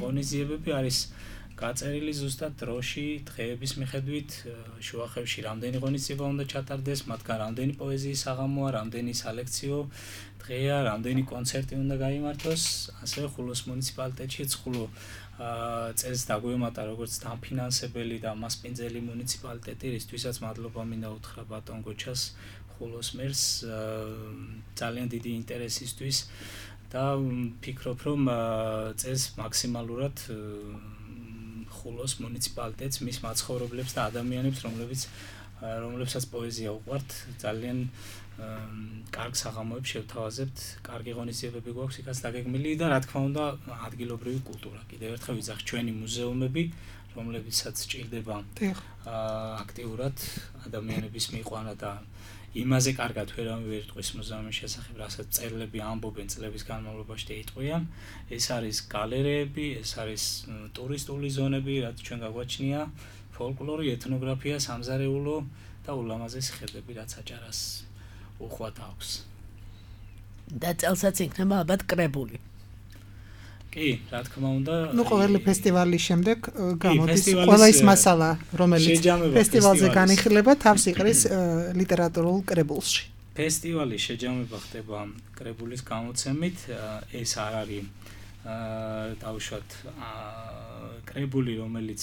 ღონისძიებები არის გაწერილი ზუსტად დროში, დღეების მიხედვით, შუახევში რამდენი ღონისძიება უნდა ჩატარდეს, მათგან რამდენი პოეზიის საღამოა, რამდენი სალექციო დღეა, რამდენი კონცერტი უნდა გაიმართოს, ასევე ხულოს მუნიციპალიტეტშიც ხულო წელს დაგვემატა როგორც დამფინანსებელი და მასპინძელი მუნიციპალიტეტი, რისთვისაც მადლობა მინდა უთხრა ბატონ გოჩას, ხულოს მერს ძალიან დიდი ინტერესისთვის და ვფიქრობ, რომ წელს მაქსიმალურად ხულოს მუნიციპალიტეტს, მის მაცხოვრებლებს და ადამიანებს, რომლებსაც პოეზია უყვართ, ძალიან კარგ საღამოებს შევთავაზებთ, კარგი ღონისძიებები გვაქვს იქაც დაგეგმილი და რა თქმა უნდა ადგილობრივი კულტურა. კიდევ ერთხელ ვიძახ ჩვენი მუზეუმები, რომლებიცაც ჭირდება აქტიურად ადამიანების მიყვანა და იმაზე კარგად ვერავინ ვერ იტყვის მუზეუმის შესახებ, რასაც მწერლები ამბობენ წლების განმავლობაში და იტყვიან. ეს არის გალერეები, ეს არის ტურისტული ზონები, რაც ჩვენ გაგვაჩნია, ფოლკლორი, ეთნოგრაფია, სამზარეულო და ულამაზესი ხედები, რაც აჭარას უხვად აქვს. და წელსაც იქნება ალბათ კრებული. კი, რა თქმა უნდა. ნუ ყოველი ფესტივალის შემდეგ გამოდის ყველა ის მასალა, რომელიც ფესტივალზე განიხილება, თავს იყრის ლიტერატურულ კრებულში. ფესტივალის შეჯამება ხდება კრებულის გამოცემით, ეს არ არის დავუშვათ კრებული, რომელიც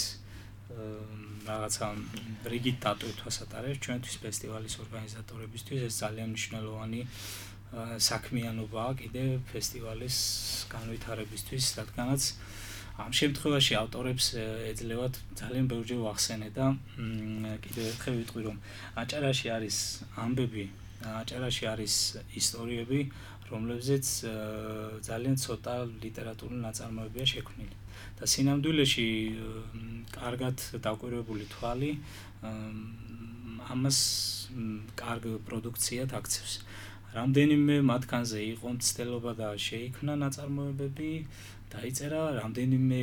რაღაცა რიგით დატვირთვას ატარებს ჩვენთვის ფესტივალის ორგანიზატორებისთვის, ეს ძალიან მნიშვნელოვანი საქმიანობაა კიდევ ფესტივალის განვითარებისთვის, რადგანაც ამ შემთხვევაში ავტორებს ეძლევათ ძალიან ბევრჯერ ვახსენე და კიდევ ერთხელ ვიტყვი, რომ აჭარაში არის ამბები, აჭარაში არის ისტორიები, რომლებზეც ძალიან ცოტა ლიტერატურული ნაწარმოებია შექმნილი. და სინამდვილეში კარგად დაკვირვებული თვალი ამას კარგ პროდუქციად აქცევს. რამდენიმე მათგანზე იყო მცდელობა და შეიქმნა ნაწარმოებები დაიწერა, რამდენიმე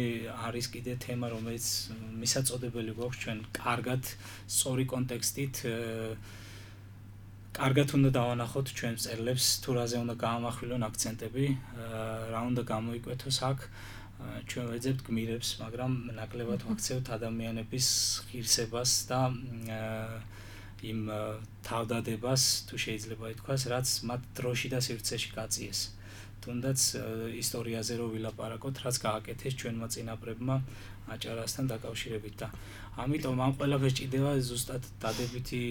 არის კიდე თემა, რომელიც მისაწოდებელი გვაქვს ჩვენ კარგად სწორი კონტექსტით კარგად უნდა დავანახოთ ჩვენ წერლებს, თუ რაზე უნდა გაამახვილონ აქცენტები, რა უნდა გამოიკვეთოს აქ. ჩვენ ვეძებთ გმირებს, მაგრამ ნაკლებად ვაქცევთ ადამიანების ღირსებას და იმ თავდადებას, თუ შეიძლება ითქვას, რაც მათ დროში და სივრცეში გაწიეს. თუნდაც ისტორიაზე რო ვილაპარაკოთ, რაც გააკეთეს ჩვენმა წინაპრებმა აჭარასთან დაკავშირებით და ამიტომ ამ ყველაფერს ჭირდება ზუსტად დადებითი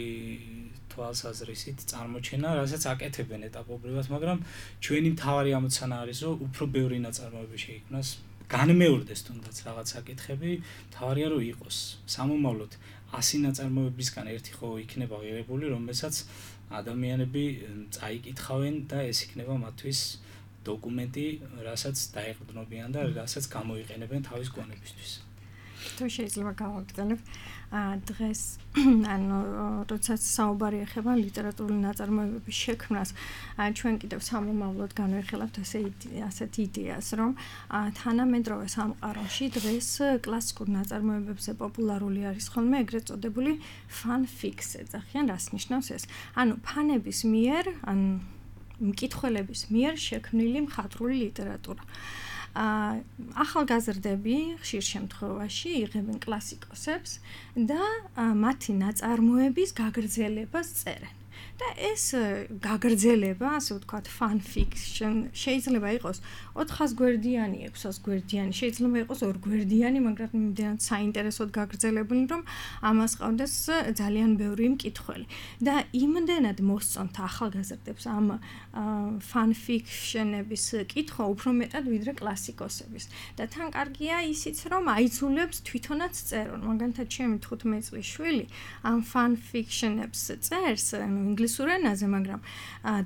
თვალსაზრისით წარმოჩენა, რასაც აკეთებენ ეტაპობრივად, მაგრამ ჩვენი მთავარი ამოცანა არის, რომ უფრო ბევრი ნაწარმოები შეიქმნას, განმეორდეს თუნდაც რაღაც საკითხები, მთავარია რომ იყოს. სამომავლოდ 100 ნაწარმოებისგან ერთი ხო იქნება ღირებული, რომელსაც ადამიანები წაიკითხავენ და ეს იქნება მათთვის დოკუმენტი, რასაც დაეყრდნობიან და რასაც გამოიყენებენ თავის გონებისთვის. თუ შეიძლება გავაგრძელებ, დღეს ანუ როდესაც საუბარი ეხება ლიტერატურული ნაწარმოებების შექმნას, ჩვენ კიდევ სამომავლოდ განვიხილავთ ასეთ იდეას, რომ თანამედროვე სამყაროში დღეს კლასიკურ ნაწარმოებებზე პოპულარული არის ხოლმე ეგრეთ წოდებული fan-fics ეძახიან, რას ნიშნავს ეს? ანუ ფანების მიერ, ან მკითხველების მიერ შექმნილი მხატვრული ლიტერატურა. ახალგაზრდები ხშირ შემთხვევაში იღებენ კლასიკოსებს და მათი ნაწარმოების გაგრძელებას წერენ. და ეს გაგრძელება, ასე ვთქვათ, fan fiction შეიძლება იყოს 400 გვერდიანი, 600 გვერდიანი, შეიძლება იყოს 2 გვერდიანი, მაგრამ იმდენად საინტერესოდ გაგრძელებული, რომ ამას ყავდეს ძალიან ბევრი მკითხველი. და იმდენად მოსწონთ ახალგაზრდებს ამ fan fiction-ების კითხვა უფრო მეტად ვიდრე კლასიკოსების. და თან კარგია ისიც, რომ აიძულებს თვითონაც წერონ. მაგალითად, ჩემი 15 წლის შვილი ამ fan fiction-ებს წერს, ინგლისურ ენაზე, მაგრამ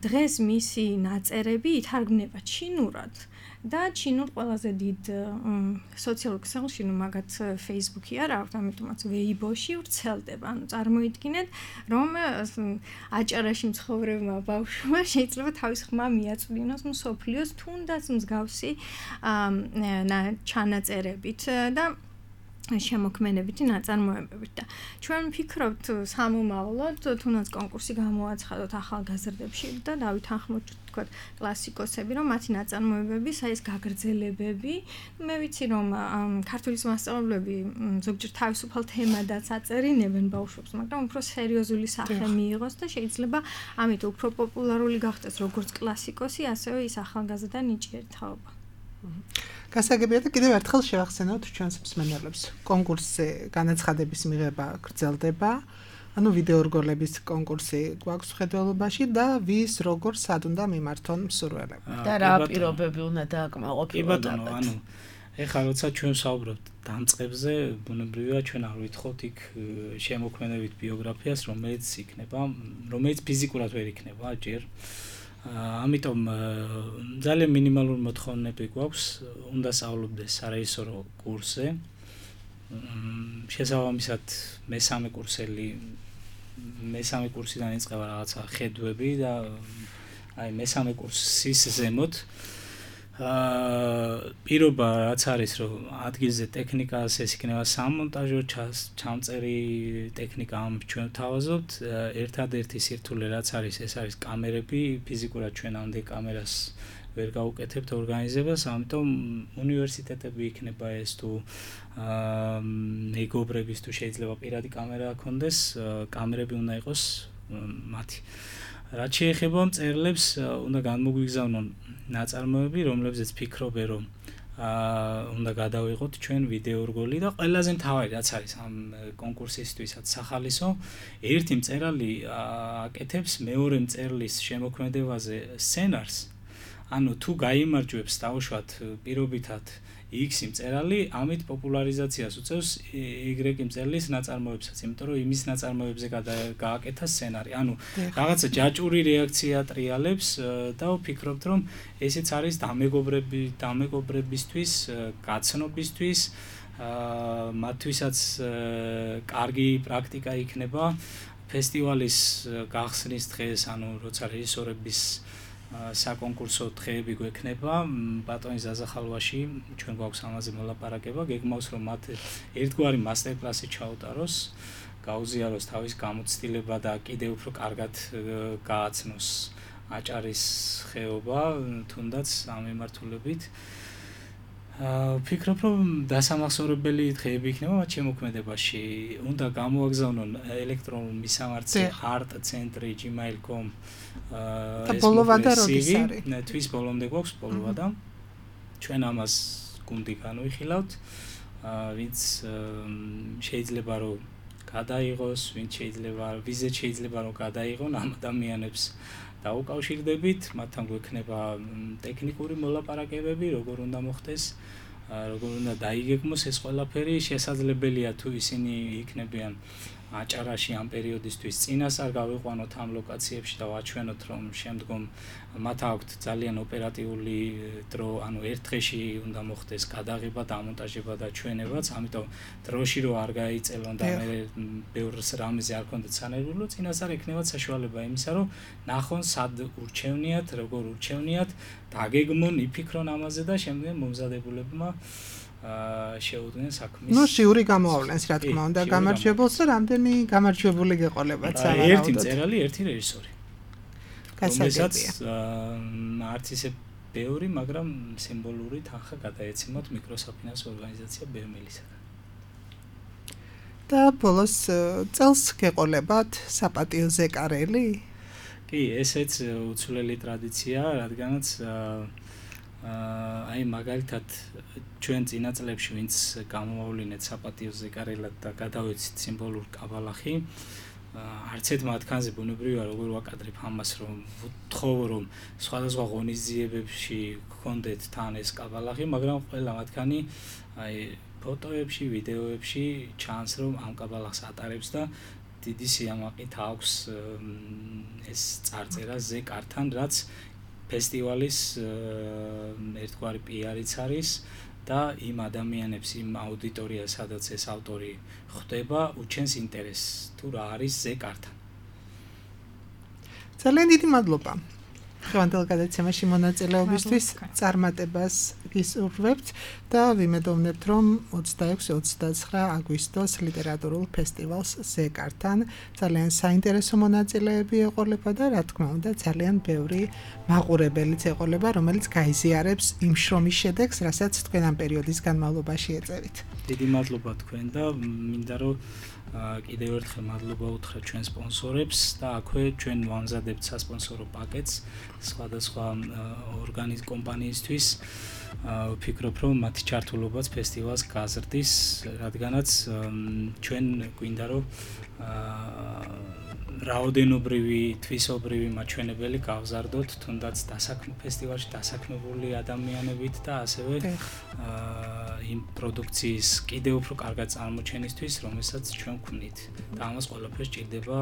დღეს მისი ნაწერები ითარგმნება ჩინურად და ჩინურ ყველაზე დიდ სოციალურ ქსელში, მაგათ Facebook-ი არა, ამიტომაც Weibo-ში ვრცელდება. ანუ წარმოიდგინეთ, რომ აჭარაში მცხოვრებმა ბავშვმა შეიძლება თავის ხმა მიაწვდინოს მსოფლიოს თუნდაც მსგავსი ჩანაწერებით და შემოქმედებითი ნაწარმოებებით და ჩვენ ვფიქრობთ სამომავლოდ თუნდაც კონკურსი გამოაცხადოთ ახალგაზრდებში და დავითანხმოთ თქვათ კლასიკოსები, რომ მათი ნაწარმოებების ეს გაგრძელებები, მე ვიცი რომ ქართულის მასწავლებლები ზოგჯერ თავისუფალ თემადაც აწერინებენ ბავშვებს, მაგრამ უფრო სერიოზული სახე მიიღოს და შეიძლება ამით უფრო პოპულარული გახდეს როგორც კლასიკოსი, ასევე ის ახალგაზრდა ნიჭიერი თაობა. გასაგებია და კიდევ ერთხელ შევახსენოთ ჩვენს მსმენელებს. კონკურსზე განაცხადების მიღება გრძელდება. ანუ ვიდეო რგოლების კონკურსი გვაქვს ხედველობაში და ვის როგორ სად უნდა მიმართონ მსურველები. და რა პირობები უნდა დააკმაყოფილონ. კი ბატონო, ანუ ეხლა როცა ჩვენ საუბრობთ დამწყებზე, ბუნებრივია ჩვენ არ ვითხოვთ იქ შემოქმედებით ბიოგრაფიას, რომელიც ფიზიკურად ვერ იქნება ჯერ. ამიტომ ძალიან მინიმალური მოთხოვნები გვაქვს, უნდა სწავლობდეს სარეჟისორო კურსზე. შესაბამისად მესამე კურსიდან იწყება რაღაცა ხედვები და აი მესამე კურსის ზემოთ პირობა რაც არის, რომ ადგილზე ტექნიკას ეს იქნება სამონტაჟო ჩამწერი ტექნიკა ამ ჩვენ თავაზობთ. ერთადერთი სირთულე რაც არის, ეს არის კამერები, ფიზიკურად ჩვენ ამდენ კამერას ვერ გავუკეთებთ ორგანიზებას, ამიტომ უნივერსიტეტები იქნება ეს თუ მეგობრების თუ შეიძლება პირადი კამერა ჰქონდეს, კამერები უნდა იყოს მათი. რაც შეეხება მწერლებს, უნდა განმოგვიგზავნონ ნაწარმოები, რომლებზეც ფიქრობენ, რომ უნდა გადავიღოთ ჩვენ ვიდეო რგოლი და ყველაზე მთავარი რაც არის ამ კონკურსისთვისაც სახალისო, ერთი მწერალი აკეთებს მეორე მწერლის შემოქმედებაზე სცენარს. ანუ თუ გაიმარჯვებს დაუშვათ პირობითად X მწერალი, ამით პოპულარიზაციას უწევს Y მწერლის ნაწარმოებსაც, იმიტომ რომ იმის ნაწარმოებზე გააკეთა სცენარი. ანუ რაღაცა ჯაჭვური რეაქცია ტრიალებს და ვფიქრობთ, რომ ესეც არის დამეგობრებისთვის, გაცნობისთვის, მათთვისაც კარგი პრაქტიკა იქნება ფესტივალის გახსნის დღეს, ანუ როცა რეჟისორების საკონკურსო დღეები გვექნება ბატონი ზაზახალვაში ჩვენ გვაქვს ამაზე მოლაპარაკება გეგმავს რომ მათ ერთგვარი მასტერკლასი ჩაუტაროს გაუზიაროს თავის გამოცდილება და კიდევ უფრო კარგად გააცნოს აჭარის ხეობა თუნდაც ამ მიმართულებით ვფიქრობ რომ დასამახსოვრებელი დღეები იქნება მათ შემოქმედებაში უნდა გამოაგზავნონ ელექტრონულ მისამართზე art@gmail.com და ბოლოვადა როდის არის? თვის ბოლომდე გვაქვს ბოლოვადა ჩვენ ამას გუნდი განვიხილავთ ვინც შეიძლება რომ გადაიღოს ვინც შეიძლება ვიზეთ შეიძლება რომ გადაიღონ ამ ადამიანებს დაუკავშირდებით მათთან გვექნება ტექნიკური მოლაპარაკებები როგორ უნდა მოხდეს როგორ უნდა დაიგეგმოს ეს ყველაფერი შესაძლებელია თუ ისინი იქნებიან აჭარაში ამ პერიოდისთვის წინასწარ გავიყვანოთ ამ ლოკაციებში და ვაჩვენოთ რომ შემდგომ მათ აქვთ ძალიან ოპერატიული დრო ანუ ერთ დღეში უნდა მოხდეს გადაღება დამონტაჟება და ჩვენებაც ამიტომ დროში რო არ გაიწელონ და მე ბევრს რამეზე არ კონდეთ სანერვულო წინასწარ ექნება საშუალება იმისა რომ ნახონ სად ურჩევნიათ როგორ ურჩევნიათ დაგეგმონ იფიქრონ ამაზე და შემდგომ მომზადებულებმა შეუდგნენ საქმის. ნუ შიური გამოავლენს რა თქმა უნდა გამარჯვებულს და რამდენი გამარჯვებული გეყოლებათ სავარაუდოდ. ერთი მწერალი, ერთი რეჟისორი. გასაგებია. არც ისე ბევრი, მაგრამ სიმბოლური თანხა გადაეცემოთ მიკროსაფინანსო ორგანიზაცია ბერმელისაგან. და ბოლოს წელს გეყოლებათ საპატიო ზეკარელი? კი, ესეც უცვლელი ტრადიციაა, რადგანაც აი მაგალითად ჩვენ წინა წლებში ვინც გამოვავლინეთ საპატიო ზეკარელად და გადავეცით სიმბოლურ კაბალახი არც ერთ მათგანზე ბუნებრივია როგორ ვაკადრებ ამას რომ ვთხოვო რომ სხვადასხვა ღონისძიებებში გქონდეთ თან ეს კაბალახი მაგრამ ყველა მათგანი აი ფოტოებში ვიდეოებში ჩანს რომ ამ კაბალახს ატარებს და დიდი სიამაყით აქვს ეს წარწერა ზეკართან რაც ფესტივალის ერთგვარი პიარიც არის და იმ ადამიანებს იმ აუდიტორიას სადაც ეს ავტორი ხვდება უჩენს ინტერესს თუ რა არის ზეკართან. ძალიან დიდი მადლობა. ხევანდელ გადაცემაში მონაწილეობისთვის წარმატებას გისურვებთ და ვიმედოვნებთ რომ 26-29 აგვისტოს ლიტერატურულ ფესტივალს ზეკართან ძალიან საინტერესო მონაწილეები ეყოლება და რა თქმა უნდა ძალიან ბევრი მაყურებელიც ეყოლება რომელიც გაიზიარებს იმ შრომის შედეგს რასაც თქვენ ამ პერიოდის განმავლობაში ეწევით. დიდი მადლობა თქვენ და მინდა რომ კიდევ ერთხელ მადლობა უთხრა ჩვენ სპონსორებს და აქვე ჩვენ ვამზადებთ სასპონსორო პაკეტს სხვადასხვა კომპანიისთვის ვფიქრობ რომ მათი ჩართულობაც ფესტივალს გაზრდის რადგანაც ჩვენ გვინდა რომ რაოდენობრივი თვისობრივი მაჩვენებელი გავზარდოთ თუნდაც ფესტივალში დასაქმებული ადამიანებით და ასევე იმ პროდუქციის კიდევ უფრო კარგად წარმოჩენისთვის რომელსაც ჩვენ ვქმნით და ამას ყველაფერს ჭირდება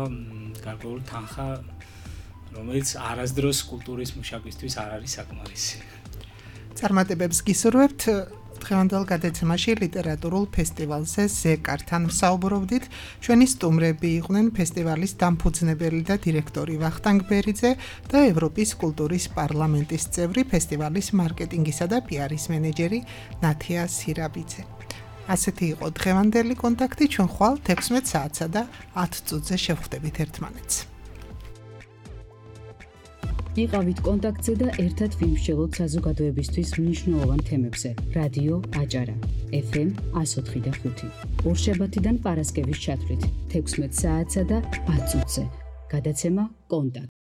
გარკვეული თანხა რომელიც არასდროს კულტურის მუშაკისთვის არ არის საკმარისი. წარმატებებს გისურვებთ დღევანდელ გადაცემაში ლიტერატურულ ფესტივალზე ზეკართან ვსაუბრობდით. ჩვენი სტუმრები იყვნენ ფესტივალის დამფუძნებელი და დირექტორი ვახტანგ ბერიძე და ევროპის კულტურის პარლამენტის წევრი ფესტივალის მარკეტინგისა და პიარის მენეჯერი ნათია სირაბიძე. ასეთი იყო დღევანდელი კონტაქტი ჩვენ ხვალ 16 საათსა და 10 წუთზე შევხვდებით ერთმანეთს. იყავით კონტაქტზე და ერთად ვიმსჯელოთ საზოგადოებისთვის მნიშვნელოვან თემებზე. რადიო აჭარა FM 104.5 ორშაბათიდან პარასკევის ჩათვლით 16 საათსა და 10 წუთზე. გადაცემა კონტაქტ